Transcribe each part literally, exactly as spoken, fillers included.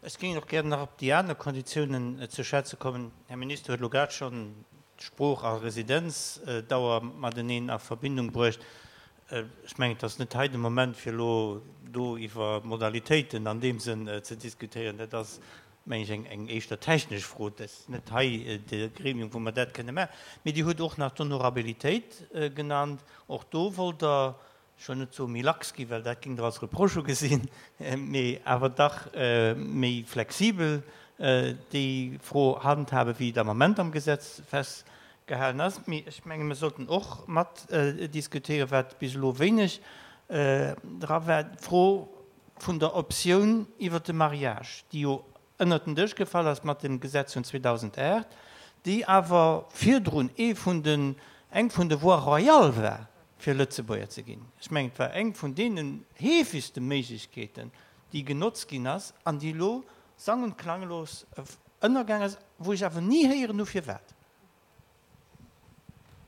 Ech géing och gären nach op déi aner Konditiounen ze schwätze kommen. Här Minister huet elo grad schonn d'Sprooch a Residenzdauer mateneen a Verbindung bruecht. Ech mengen, et ass net hei de Moment, fir elo do iwwer Modalitéiten an deem Sënn ze diskutéieren. Dat ass, meng ech, eng, eng éischter technesch Fro. Dat ass net hei de Gremium, wou mer dat kënne maachen. Mee Dir hutt och nach d'Honorabilitéit genannt. Och do wollt Der, ech wëll net soe méi lax ginn, well dat géing Der als Reproche ugesinn, mee awer dach méi flexibel déi Fro handhaben, wéi et am Ament am Gesetz festgehalen ass. Mee ech menge mir sollten och mat diskutéieren, wat bis elo wéineg dra war, d'Fro vun der Optioun iwwert de Mariage, déi jo ënnert den Dësch gefall ass mat dem Gesetz vun zweedausendaacht, déi awer virdrun ee vun den, eng vun de Voies royales war, fir Lëtzebuerger ze ginn. Ech mengen, et war eng vun deenen heefegste Méiglechkeeten, déi genotzt ginn ass an déi elo sang und klanglos ënnergaang ass, wou ech awer ni héieren hu firwat.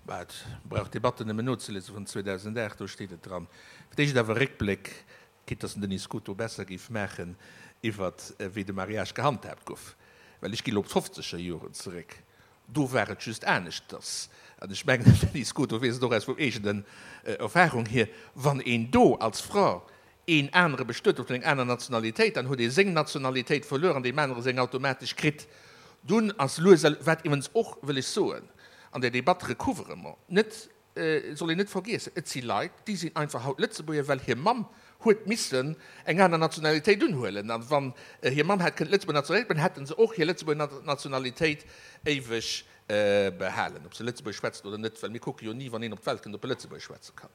Bah, et brauch d'Debatten nëmmen nozeliese vun zweedausendacht, do steet et dran. Fir d'éischt awer Réckbléck, quitte dass den Denis Scuto besser géif maachen, iwwert wéi de Mariage gehandhaabt gouf, well ech gi elo op d'fofzeger Joren zeréck. Do war et just aneschters, an ech mengen, den Denis Scuto weess et och aus eegenen Erfahrung hier, wann een do als Fra een anere bestuet huet vun enger aner Nationalitéit, dann huet ee seng Nationalitéit verluer an deem anere seng automatesch kritt. Dunn ass lues a wat iwwens och, wëll ech soen, an der Debatt Recouvrement net, soll een net vergiessen, et si Leit, déi sinn einfach haut Lëtzebuerger, well hir Mamm huet missen eng aner Nationalitéit unhuelen, an wann hir Mamm hätt kënnen d'Lëtzebuerger Nationalitéit behalen, hätte se och hir Lëtzebuerger Nationalitéit éiweg behalen, ob se Lëtzebuergesch schwätzen oder net, well mir kucke jo ni, wann een op d'Welt kënnt, ob e Lëtzebuergesch schwätze kann.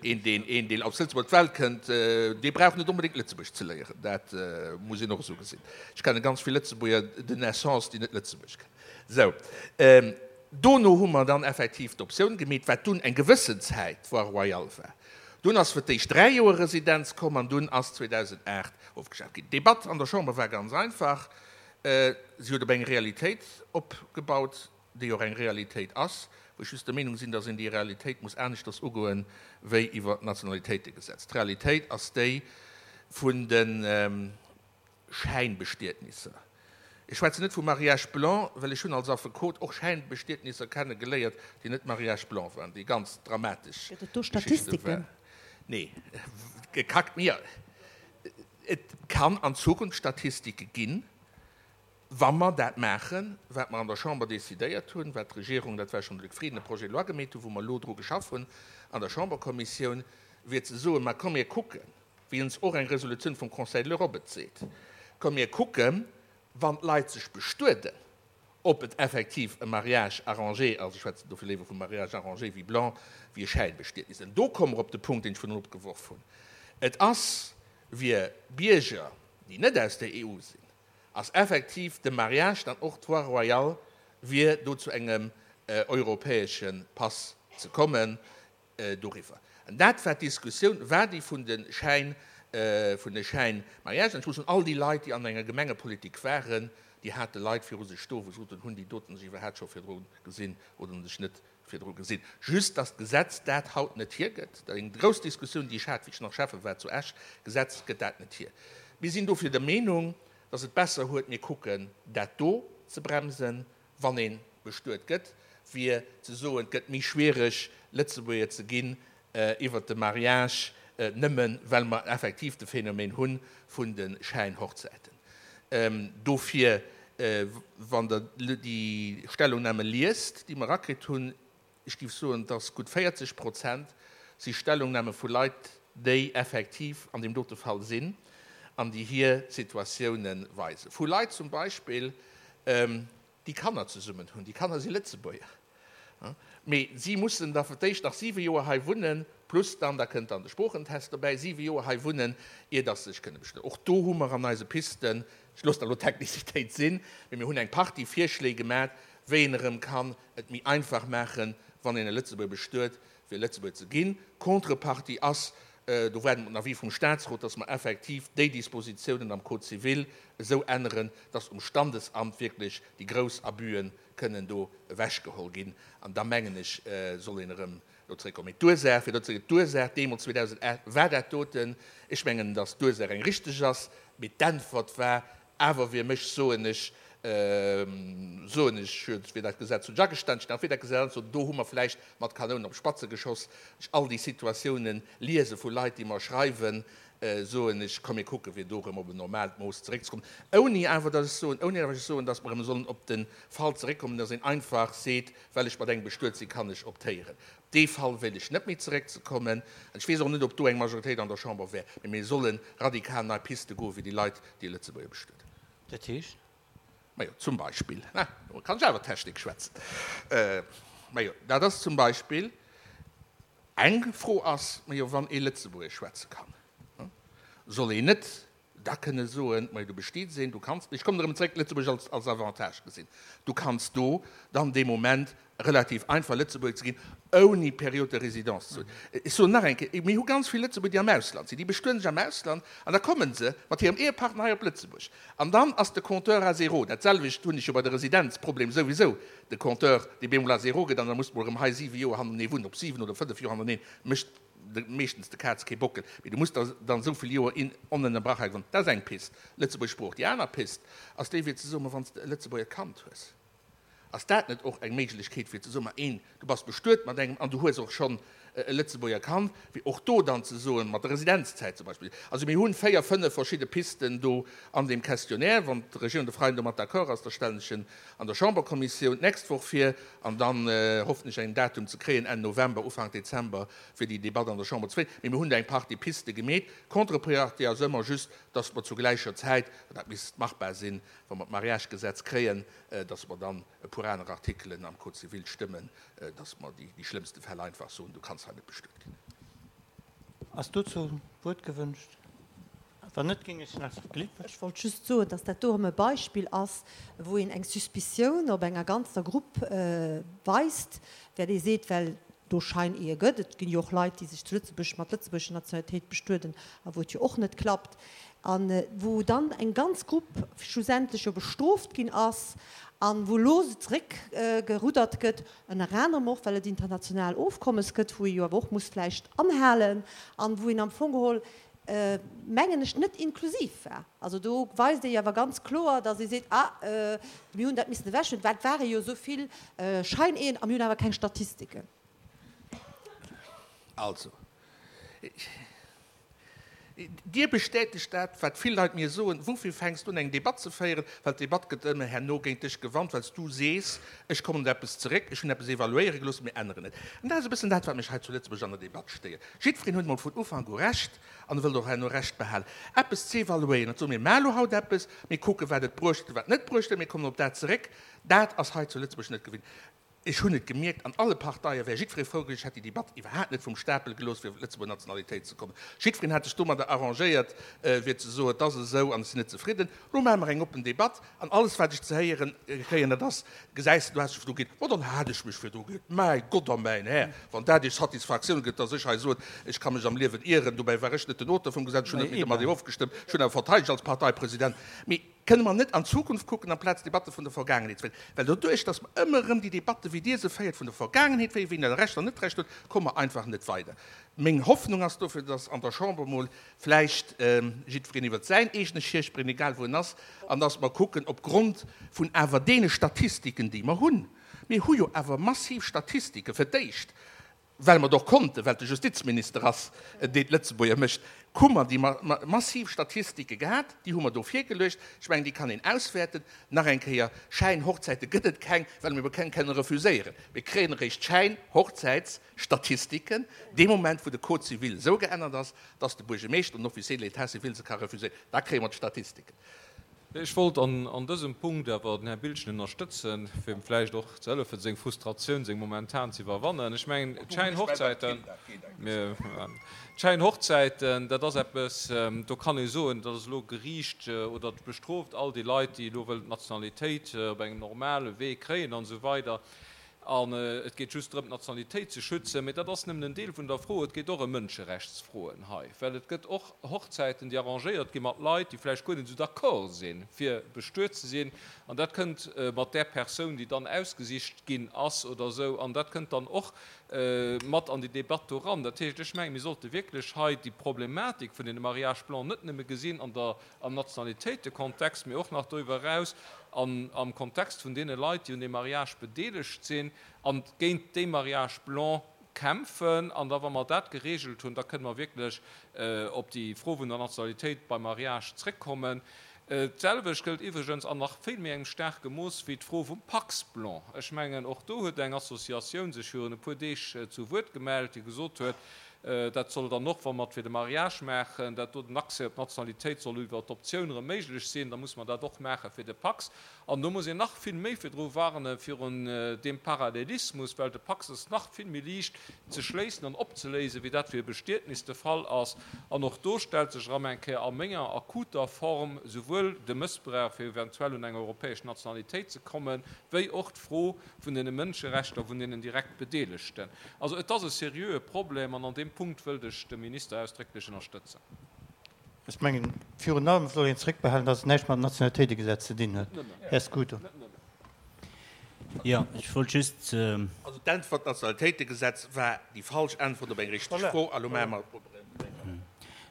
Een, deen, een, deen aus Lëtzebuerg op d'Welt kënnt, dee brauch net onbedéngt Lëtzebuergesch ze léieren, dat muss een och esou gesinn. Ech kenne ganz vill Lëtzebuerger de naissance, déi net Lëtzebuergesch kënnen. Sou. Dono hu mer dann effektiv d'Optioun gemeet, wat dunn eng gewëssen Zäit d'Voie royale war. Dunn ass fir d'éischt dräi Joer Residenz komm an dunn ass zweedausendacht ofgeschaaft ginn. D'Debatt an der Chamber war ganz einfach. Si huet op eng Realitéit opgebaut, déi och eng Realitéit ass, wou ech just der Meenung sinn, dass een déi Realitéit muss aneschters ugoen, wéi iwwer d'Nationalitéitegesetz. D'Realitéit ass déi vun de Schäinbestietnisser. Ech schwätzen net vu Mariage blanc, well ech hunn als Affekot och Schäinbestietnisser kenne geléiert, déi net Mariage blanc waren, déi ganz dramatesch Gëtt et do Geschichte Statistiken? waren. Nee, gekackt mir. Et kann an Zukunft Statistike ginn, wa mer dat maachen, wat mer an der Chamber decidéiert hunn, wat d'Regierung, dat war schonn de Luc Frieden, e Projet de loi gemeet hunn, wou mer elo dru geschaff hunn an der Chamberkommissioun, wier ze soen, ma komm mir kucken, wéi ons och eng Resolutioun vum Conseil de l'Europe et seet, komm mir kucken, wann d'Leit sech bestueden, ob et effektiv e Mariage arrangé ass, ech schwätzen dofir léiwer vum Mariage arrangé wéi blanc, wéi e Schäinbestietnis. An do komme mer op de Punkt, deen ech virun opgeworf hunn, Et ass fir Bierger, déi net aus der E U sinn, ass effektiv de Mariage dann och d'Voie royale, fir do zu engem europäesche Pass ze kommen doriwwer. An dat war d'Diskussioun, war déi vun de Schäin, vun de Schäinmariagen. An ech muss soen, all déi Leit, déi an enger Gemengepolitik waren, déi hate Leit viru sech stoen, wou se soten, hunn déi doten sech iwwerhaapt scho virdru gesinn oder hunn sech net virdru gesinn. Just, dass d'Gesetz dat haut net hiergëtt. Dat ass eng grouss Diskussioun, déi ech hat, wéi ech nach Schäffe war zu Esch. D'Gesetz gëtt dat net hier. Mir sinn dofir der Meenung, dass et besser huet, mir kucken, dat do ze bremsen, wann ee bestuet gëtt, wéi ze soen, et gëtt méi schwiereg, Lëtzebuerger ze ginn iwwert de Mariage, nëmmen well mer effektiv de Phänomen hu vun de Schäinhochzäiten. Dofir, wann Der déi Stellungnahme liest, déi mer erakritt hunn, ech géif soen, dass gutt véierzeg Prozent si Stellungnahme vu Leit, déi effektiv an deem dote Fall sinn an déi hir Situatiounen weisen. Vu Leit zum Beispill, déi Kanner zesummen hunn. Déi Kanner si Lëtzebuerger, mee si mussen da fir d'éischt nach siwe Joer hei wunnen, plus dann, da kënnt dann de Sproochentest dobäi, siwe Joer hei wunnen, ier dass se sech kënne bestueden. Och do hu mer an eise Pisten, ech loossen da elo d'Technicitéit sinn, mee mir hunn eng Partie Virschléi gemaach, wéi een erëm kann et méi einfach maachen, wann een e Lëtzebuerger bestuet, fir Lëtzebuerger ze ginn. Contrepartie ass, do waarde mer den Avis vum Statsrot, dass mer effektiv déi Dispositiounen am Code civil esou änneren, dass um Standesamt wierklech déi grouss Abüen kënnen do ewechgeholl ginn. An da mengen ech, soll een erëm do zréckkommen. Mee d'Ursaach, fir do ze, d'Ursaach deemools zweedausendacht war dat doten. Ech mengen, dass d'Ursaach eng richteg ass, mee d'Äntwert war Awer fir mech soen ech, soen ech, wéi dat Gesetz hunn ech agestan, ech wéi dat Gesetz, soen, do hu mer vläicht mat Kanounen op Spatze geschoss. Ech all déi Situatiounen liese vu Leit, déi mer schreiwen, soen ech, komm mir kucken, fir do erëm op en normaalt Mooss zeréckzekommen, ouni awer datt ech soen, ouni awer ech soen, datt mer erëm sollen op de Fall zeréckkommen, datt een einfach seet, well ech mat engem bestuet sinn, kann ech optéieren. Op dee Fall wéilt ech net méi zeréckzekommen. An ech weess och net, ob do eng Majoritéit an der Chamber wär. Mee mir solle radikal nei Piste goen, fir déi Leit, déi e Lëtzebuerger bestueden. Dat heescht? Majo, zum Beispill, na, do kann ech awer Technik schwätzen. Majo, dat ass zum Beispill eng Fro ass, majo, wann ee Lëtzebuergesch schwätze kann, soll een net da kënne soen, majo, du bestiets een, du kanns, ech kommen erëm zréck, Lëtzebuerg als, als Avantage gesinn, du kanns do dann dee Moment relativ einfach Lëtzebuerger ze ginn, ouni Période de résidence ze hunn. Ech soen nach eng Kéier, mir hu ganz vill Lëtzebuerger, déi am Ausland sinn, déi bestueden sech am Ausland an da komme se mat hirem Ehepartner hei op Lëtzebuerg an dann ass de Compteur à zéro. Dat selwecht hunn ech jo bei de Residenzproblem souwisou, de Compteur, dee bemol à zéro gëtt an da muss de mol erëm hei siwe Joer hannerenee wunnen, ob siwen oder fënnef Joer hannereneen, mécht meeschtens de Kaz kee Bockel, mee du muss der dann esou vill Joer in onënnerbrach hei wunnen. Dat ass eng Pist, Lëtzebuerg Sprooch. Déi aner Pist ass déi, fir ze soen, ma wann s de e Lëtzebuerger Kand hues, ass dat net och eng Méiglechkeet, fir ze soen, ma een, du bass bestuet mat engem an du hues och schonn e Lëtzebuerger Kand, fir och do dann ze soen, mat der Residenzzäit zum Beispill. Also mir hunn véier, fënnef verschidde Pisten do an deem Questionnaire. Wann d'Regierung de Freien domat d'accord ass, da stellen ech en an der Chamberkommissioun d'nächst Woch vir an dann hoffen ech en Datum ze kréien Enn November, Ufank Dezember, fir déi Debatt an der Chamber ze féieren. Mee mir hunn do eng Partie Piste gemeet. Contrepartie ass ëmmer just, dass mer zu gläicher Zäit, an dat misst machbar sinn, wa mer d'Mariagegesetz kréien, dass mer dann e puer aner Artikelen am Code civil stëmmen, dass mer déi schlëmmste Fäll einfach soen, du kanns hei net bestuet ginn. Ass dozou d'Wuert gewënscht? Wann net, géing ech nach Glick. Ech wollt just soen, dass dat do erëm e Beispill ass, wou een eng Suspicioun op enger ganzer Grupp weist, well ee seet, well do Scheinehe gëtt. Et ginn jo och Leit, déi sech zu Lëtzebuerg mat lëtzebuergescher Nationalitéit bestueden a wou et jo och net klappt, a wou dann eng ganz Grupp schlussendlech jo bestrooft ginn ass a wou elo zeréckgeruddert gëtt, ënner anerem och, well et international Ofkommes gëtt, wou ee jo awer och muss vläicht anhalen an wou een am Fong geholl, mengen ech, net inklusiv war. Also do weist ee jo awer ganz kloer, datt ee seet, ah, mir hunn dat missen ewechhuelen, well et ware jo esou vill Scheinehen a mir hunn awer keng Statistiken. Also, Dir bestätegt dat, wat vill Leit mir soen, Woufir fänks du un, eng Debatt ze féieren? Well d'Debatt gëtt ëmmer herno géint dech gewannt, well s du sees, Ech kommen op eppes zeréck, ech hunn eppes evaluéiere gelooss, mir änneren et. An dat ass e bëssen dat, wat mech hei zu Lëtzebuerg an der Debatt stéiert. Jiddwereen huet emol vun Ufank u Recht an e wëllt och herno Recht behalen. Eppes z'evaluéieren, dat soe mir, Mir elo haut eppes, mir kucken, wat et bruecht huet a wat net bruecht huet, mir kommen op dat zeréck, dat ass hei zu Lëtzebuerg net gewinnt. Ech hunn et gemierkt, an alle Parteie wär jiddweree frou gewiescht, hätt déi Debatt iwwerhaapt net vum Stapel gelooss, fir op d'Lëtzebuerger Nationalitéit ze kommen. Jiddwereen hätt sech domadder arrangéiert, fir ze soen, et ass esou an ech sinn net zefridden. Elo maache mer eng oppen Debatt an alles, wat ech ze héiere kréien, dat ass, Gesäis de, du häss dech virdru geet. Ma dann hat ech mech virdru geet. Mäi Gott a mäin Här, wann dat Iech Satisfaktioun gëtt, dass ech hei soen, ech ka mech am Liewen ieren, dobäi war ech net den Auteur vum Gesetz, ech hunn net méi mat deem ofgestëmmt, ech hunn awer verteidegt als Parteipresident. Mee Kënne mer net an d'Zukunft kucken, amplaz Debatte vun der Vergaangenheet ze féieren? Well doduerch, datt mer ëmmer erëm déi Debatte, wéi Dir se féiert, vun der Vergaangenheet féieren, wien da Recht an net Recht huet, komme mer einfach net weider. Meng Hoffnung ass dofir, datt an der Chamber emol vläicht jiddwereen iwwert säin eegene Schierchbreen, egal wou en ass, an datt mer kucken, opgrond vun awer deene Statistiken, déi mer hunn, mir hu jo awer massiv Statistiken, fir d'éischt, well mer et och konnten, well et de Justizminister ass, deen d'Lëtzebuerger mécht, hu mer déi massiv Statistike gehat, déi hu mer do virgeluecht. Ech mengen, déi kann een auswäerten. Nach eng Kéier, Schäinhochzäite gëtt et keng, well mir keng kënnen refuséieren. Mir kréien eréischt Schäinhochzäitsstatistiken dee Moment, wou de Code civil esou geännert ass, dass de Buergermeeschter an den Officier de l'état civil se ka refuséieren. Da kréie mer d'Statistiken. Ech wollt an dësem Punkt awer den Här Biltgen ënnerstëtzen, fir em vläicht och ze hëllefen, seng Frustratioun, seng momentan ze iwwerwannen. Ech mengen, d'Schäinhochzäiten, d'Schäinhochzäiten, dat ass eppes, do kann ee soen, dat ass elo geriicht oder bestrooft all déi Leit, déi elo wëllen d'Nationalitéit op engem normale Wee kréien an esou weider. An et geet just drëm, d'Nationalitéit ze schützen. Mee dat ass nëmmen en Deel vun der Fro. Et geet och ëm Mënscherechtsfroen hei, well et gëtt och Hochzäiten, déi arrangéiert gi mat Leit, déi vläicht guer net esou d'accord sinn, fir bestuet ze sinn. An dat kënnt mat där Persoun, déi dann ausgesicht ginn ass oder esou. An dat kënnt dann och mat an déi Debatt do eran. Dat heescht, ech mengen, mir sollte wierklech hei déi Problematik vun deene Mariages blancs net nëmme gesinn an der, am Nationalitéitekontext, mee och nach doriwwer eraus an, am Kontext vun deene Leit, déi un deem Mariage bedeelegt sinn a géint déi Mariages blancs kämpfen. An da, wa mer dat geregelt hunn, da kënne mer wierklech op déi Fro vun der Nationalitéit beim Mariage zréckkommen. D'selwecht gëllt iwwregens an nach vill méi engem staarke Mooss wéi d'Fro vum Pacs blanc. Ech mengen, och do huet eng Associatioun sech virun e puer Deeg zu Wuert gemellt, déi gesot huet, dat soll dann och, wa mer et fir de Mariage maachen, dat do den Accès op d'Nationalitéit soll iwwer d'Optioun erëm méiglech sinn, da muss mer dat och maache fir de Pacs. An do muss een nach vill méi virdru warne virun deem Parallelismus, well de Pacs ass nach vill méi liicht ze schléissen an opzeléisen, wéi dat fir e Bestietnis de Fall ass. An och do stellt sech erëm eng Kéier a menger akuter Form souwuel de Mëssbrauch, fir eventuell un eng europäesch Nationalitéit ze kommen, wéi och d'Fro vun deene Mënscherechter vun deenen direkt Bedeelegten. Also et ass e seriöe Problem an an deem Punkt wëllt ech de Minister ausdrécklech ënnerstëtzen. Ech mengen, virun allem soll een zréckbehalen, dass et näischt mam Nationalitéitegesetz ze dinn huet. Här Scuto. Jo, ech wollt just. Also d'Äntwert Nationalitéitegesetz war déi falsch Äntwert op eng richteg Fro. A lo maache mer.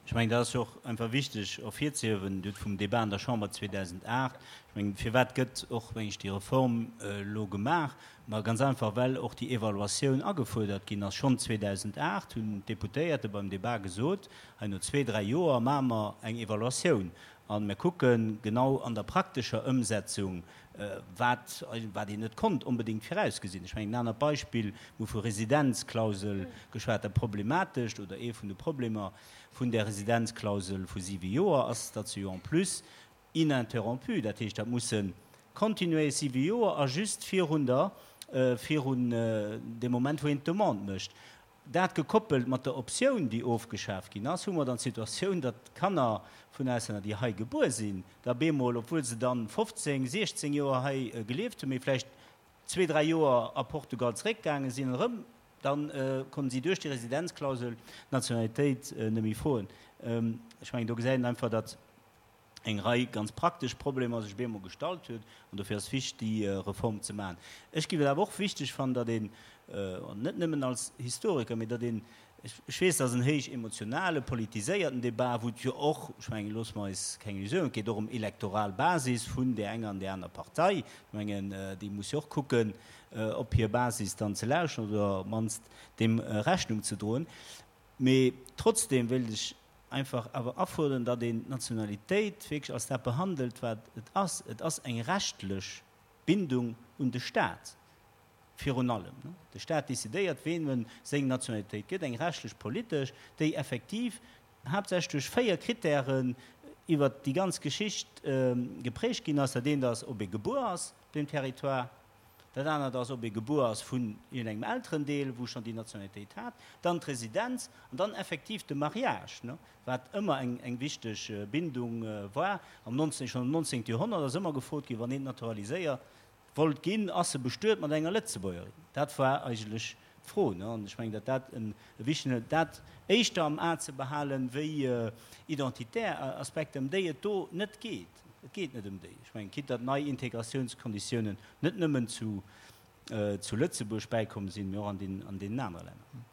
Ech mengen, dat ass jo och einfach wichteg ervirzehiewen, Dir hutt vum Débat an der Chamber zweedausendacht, ech mengen, firwat gëtt och, meng ech, déi Reform elo gemaach? Ma ganz einfach, well och déi Evaluatioun agefuerdert ginn ass. Schonn zweedausendacht hunn d'Deputéierte beim Débat gesot, hei no zwee, dräi Joer maache mer eng Evaluatioun a mir kucke genau an der praktescher Ëmsetzung, wat, wat een net konnt onbedéngt virausgesinn. Ech mengen, en anert Beispill, mir hu vu Residenzklausel geschwat, dat Problematescht oder ee vun de Problemer vun där Residenzklausel vu siwe Joer ass, datt se jo en plus ininterrompu, dat heescht, dat musse kontinuéierlech siwe Joer a just virun der, virun deem Moment, wou een d'Demande mécht, dat gekoppelt mat der Optioun, déi ofgeschaaft ginn ass, hu mer dann d'Situatioun, datt d'Kanner vun Auslänner, déi hei gebuer sinn, da bemol, obwuel se dann fofzéng, siechzéng Joer hei gelieft hunn, mee vläicht zwee, dräi Joer a Portugal zeréckgaange sinn, erëm da konnten si duerch déi Residenzklausel d'Nationalitéit net méi froen. Ech mengen, do gesäit een einfach, datt eng Rei ganz praktesch Problemer sech bemol gestallt huet, an dofir ass wichtig, déi Reform ze maachen. Ech géif et awer och wichteg fannen, datt een, an net nëmmen als Historiker, mee datt een, ech weess, dat ass en héich emotionale, politiséierten Débat, wou et jo och, ech mengen, loosse mer eis keng Illusionen, et geet och ëm elektoral Basis vun där enger an där aner Partei. Ech mengen, déi muss jo och kucken, op hir Basis dann ze lauschen oder op d'mannst deem Rechnung ze droen. Mee trotzdem wéilt ech einfach awer afuerderen, datt een d'Nationalitéit wierklech als dat behandelt, wat et ass. Et ass eng rechtlech Bindung un de Staat virun allem. De Staat decidéiert, ween en seng Nationalitéit gëtt, eng rechtlech politesch, déi effektiv haaptsächlech duerch véier Krittären iwwert déi ganz Geschicht geprägt ginn ass. Dat eent ass, ob ee gebuer ass op deem Territoire. Dat anert ass, ob ee gebuer ass vun iergendengem Elterendeel, wou schonn déi Nationalitéit hat, dann d'Residenz an dann effektiv de Mariage, wat ëmmer eng eng wichteg Bindung war. Am nonzéng, schonn am nonzéngte Joerhonnert ass ëmmer gefrot ginn, wann een naturaliséiert wollt ginn, ass e bestuet mat enger Lëtzebuergerin? Dat war eigentlech d'Fro. An ech mengen, datt dat e wichtegen, dat éischter am A ze behalen, wéi identitär Aspekter, ëm déi et do net geet. Et geet net ëm déi. Ech mengen, quitte datt nei Integratiounskonditiounen net nëmmen zu, zu Lëtzebuerg bäikomm sinn, mee och an den, an deenen anere Länner.